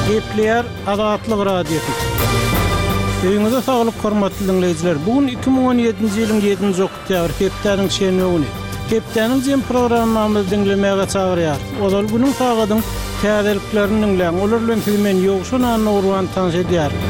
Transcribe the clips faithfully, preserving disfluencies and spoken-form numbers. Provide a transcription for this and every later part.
Gepleýär Azatlyk Radiosy. Öýüňize saglyk hormatly diňleýjiler. Bu gün iki müň on ýedinji ýylyň ýedinji oktýabr, hepdäniň şenbe güni. Hepdäniň jem programmamyzy diňlemäge çagyrýarys. Ozal günüň sagadyň täzeliklerini diňläň. Olar bilen sizi men Ýowşan Annagurban tanyş edýärin.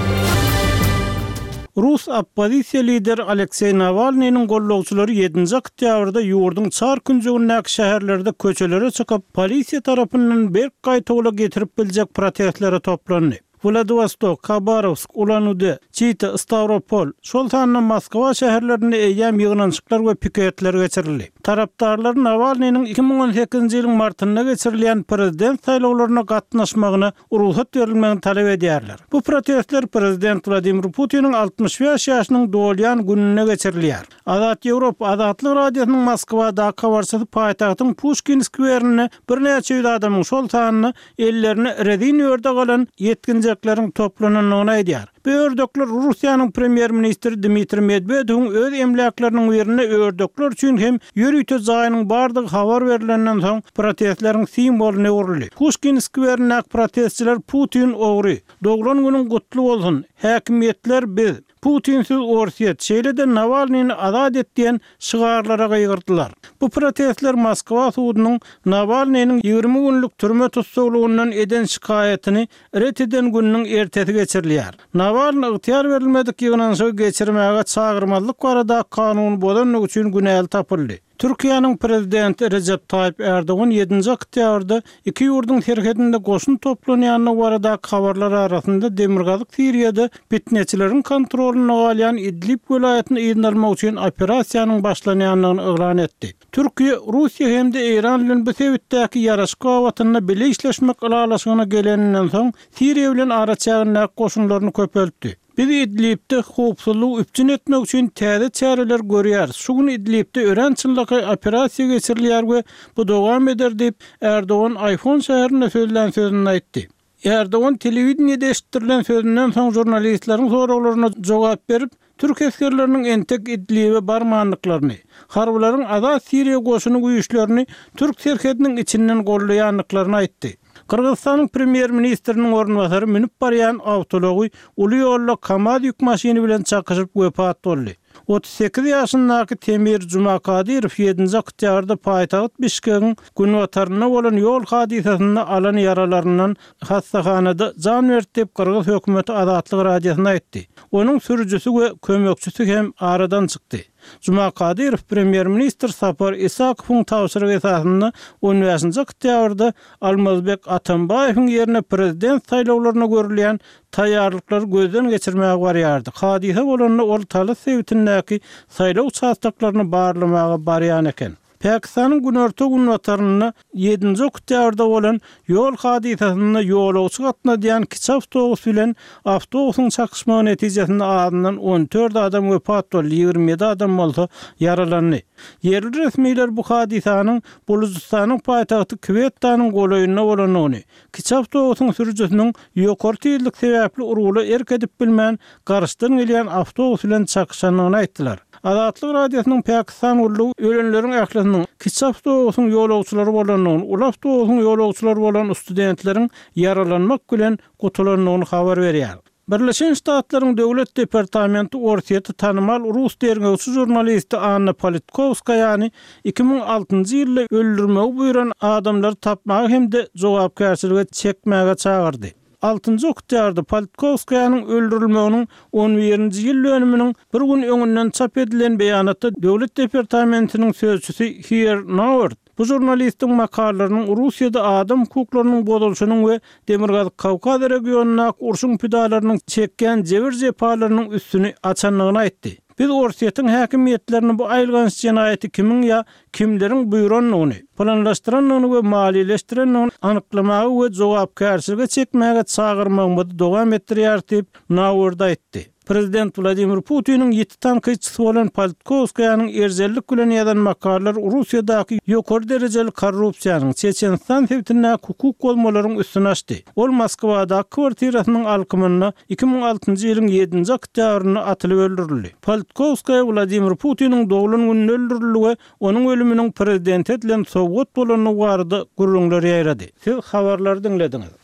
Rus oppozisiýa lideri Alekseý Nawalnynyň gollagçylary ýedinji oktýabrda ýurduň çar künjegindäki şäherlerde köçelere çykyp, polisiýa tarapyndan berk gaýtawula getirip biljek protestlere toplandy. Wladivostok, Habarowsk, Ulan-Ude, Çita, Stawropol, şol sanda Moskwa şäherlerinde eýýäm ýygnanyşyklar we piketler geçirildi. Tarapdarlar Nawalnynyň iki müň on sekizinji ýylyň martynda geçirilýän prezident saýlawlaryna gatnaşmagyna rugsat berilmegini talap edýärler. Bu protestler prezident Wladimir Putiniň altmyş bäş ýaşynyň dolýan gününde geçirilýär. Azat Ýewropa Azatlyk Radiosynyň Moskwadaky habarçysy paýtagtyň Puşkin skwerinde birnäçe ýüz adamyň, şol sanda ellerine rezin ördek alan ýetginjekleriň toplanandygyny aýdýar. Bu ördekler Russiýanyň premýer-ministri Dmitriý Medwedewiň öz emläkleriniň birinde ördekler üçin hem ýörite jaýynyň bardygy habar berilenden soň protestleriň simwolyna öwrüldi. Puşkin skwerindäki protestçiler Putin ogry, doglan günüň gutly bolsun, häkimiýetler biz, Putinsiz Orsýet, şeýle-de Nawalnyny azat et diýen şygarlara gygyrdylar. Bu protestler Moskwa sudunyň Nawalnynyň ýigrimi günlük türme tussaglygyndan eden şikaýatyny ret eden gününiň ertesi geçirilýär. Nawalny ygtyýar berilmedik ýygnanyşygy geçirmäge çagyrmazlyk barada kanuny bozanlygy üçin günäli tapyldy. Türkiýäniň prezidenti Rejep Taýyp Erdogan ýedinji oktýabrda iki ýurduň serhedinde goşun toplanýandygy baradaky habarlar arasynda Demirgazyk Siriýada fitneçileriň kontrolynda galýan Idlib welaýatyny yzyna almak üçin operasiýanyň başlanýandygyny yglan etdi. Türkiýe, Russiýa hem-de Eýran bilen bu sebitdäki ýaraşyk babatynda bile işleşmek ylalaşygyna geleninden soň Siriýa bilen araçägindäki goşunlaryny köpeltdi. Biz Idlibde howpsuzlygy üpjün etmek üçin täze çäreler görýäris. Şu gün Idlibde örän çynlakaý operasiýa geçirilýär we bu dowam eder diýip, Erdogan iPhone şäherinde sözlän sözünde aýtdy. Erdogan telewideniýede eşitdirilen sözünden soň žurnalistleriň soraglaryna jogap berip, türk esgerleriniň entek Idlibe barmandyklaryny, harbylaryň Azat Siriýa goşuny güýçlerini türk serhediniň içinden gollaýandyklaryny aýtdy. Gyrgyzystanyň premýer-ministriniň orunbasary münüp barýan awtoulagy uly ýolda KAMAZ ýük maşyny bilen çakyşyp wepat boldy. Otuz sekiz ýaşyndaky Temir Jumakadyrow ýedinji oktýabrda paýtagt Bişkegiň günbatarynda bolan ýol hadysasynda alan ýaralaryndan hassahanada jan berdi diýip, gyrgyz hökümeti Azatlyk Radiosyna aýtdy. Onuň sürüjisi we kömekçisi hem aradan çykdy. Jumakadyrow premýer-ministr Sapar Isakowyň tabşyrygy esasynda on bäşinji oktýabrda Almazbek Atambaýewiň ýerine prezident saýlawlaryna görülýän taýýarlyklary gözden geçirmäge barýardy. Hadysa bolanda ol Talas sebitindäki saýlaw uçastoklaryny barlamaga barýan eken. Pakistanyň günorta-günbatarynda ýedinji oktýabrda bolan ýol hadysasynda ýolagçy gatnadýan kiçi awtobus bilen awtobusyň çakyşmagy netijesinde azyndan on dört adam wepat boldy, ýigrimi ýedi adam bolsa ýaralandy. Ýerli resmiler bu hadysanyň Bulujystanyň paýtagty Kwettanyň golaýynda bolandygyny, kiçi awtobusyň sürüjisiniň ýokary tizlik sebäpli urgula erk edip bilmän, garşydan gelýän awtobus bilen çakyşandygyny aýtdylar. Azatlyk Radiosynyň Pakistan gullugy ölenleriň ählisiniň kiçi awtobusyň ýolagçylary bolandygyny, uly awtobusyň ýolagçylary bolan studentleriň ýaralanmak bilen gutulandygyny habar berýär. Birleşen Ştatlaryň Döwlet departamenti Orsýeti tanymal rus derňewçi žurnalisti Anna Politkowskaýany iki müň altynjy ýylda öldürmegi buýran adamlary tapmaga hem-de jogapkärçilige çekmäge çagyrdy. Altynjy oktýabrda Politkowskaýanyň öldürilmeginiň on birinji ýyl dönüminiň bir gün öňünden çap edilen beýanatda Döwlet departamentiniň sözçüsi Heather Nauert bu žurnalistiň makalalarynyň Russiýada adam hukuklarynyň bozulyşynyň we Demirgazyk Kawkaz regionyndaky urşuň pidalarynyň çekýän jebir-jepalarynyň üstüni açandygyny aýtdy. Biz Orsýetiň häkimiýetlerini bu aýylganç jenaýaty kimiň ýa kimleriň buýrandygyny, planlaşdyrandygyny we maliýeleşdirendigini anyklamaga we jogapkärçilige çekmäge çagyrmagymyzy dowam etdirýäris diýip, Nauert aýtdy. Prezident Wladimir Putiniň ýiti tankytçysy bolan Politkowskaýanyň erjellik bilen ýazan makalalary Russiýadaky ýokary derejeli korrupsiýanyň, Çeçenistan sebitindäki hukuk bozmalaryň üstüni açdy. Ol Moskwadaky kwartirasynyň alkymynda iki müň altynjy ýylyň ýedinji oktýabrynda atylyp öldürildi. Politkowskaýa Wladimir Putiniň doglan gününde öldürildi we onuň ölüminiň prezidente edilen sowgat bolandygy barada gürrüňler ýaýrady. Siz habarlary diňlediňiz.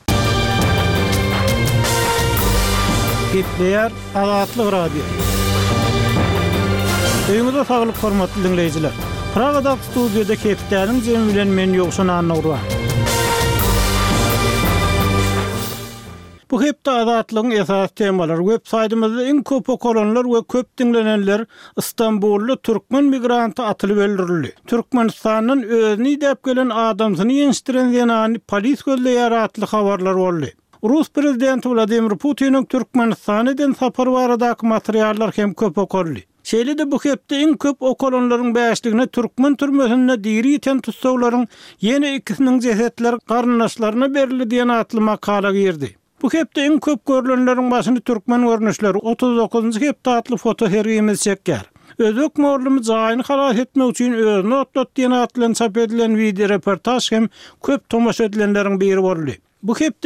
Gepleýär Azatlyk Radiosy. Öýüňize saglyk hormatly diňleýjiler. Pragadaky studiýada hepdäniň jemi bilen men Ýowşan Annagurban. Bu hepde Azatlygyň esasy temalary web saýtymyzda iň köp okalanlar we köp diňlenenler Istanbulda türkmen migranty atylyp öldürildi. Türkmenistandan özüni idäp gelen adamsyny ýençdiren zenany polis gözleýär atly habarlar boldy. Rus prezidenti Wladimir Putiniň Türkmenistana eden sapary baradaky materiallar hem köp okaldy. Şeýle-de bu hepde iň köp okalanlaryň bäşligine türkmen türmesinde diri ýiten tussaglaryň ýene ikisiniň jesetleri garyndaşlaryna berildi diýen atly makala girdi. Bu hepde iň köp görlenleriň başyny türkmen görnüşleri otuz dokuzynjy hepde atly fotosergimiz çekýär. Özbek mugallymy jaýyny halas etmek üçin özüni otlat diýen at bilen çap edilen wideoreportaž hem köp tomaşa edilenleriň biri boldy. Bu hepde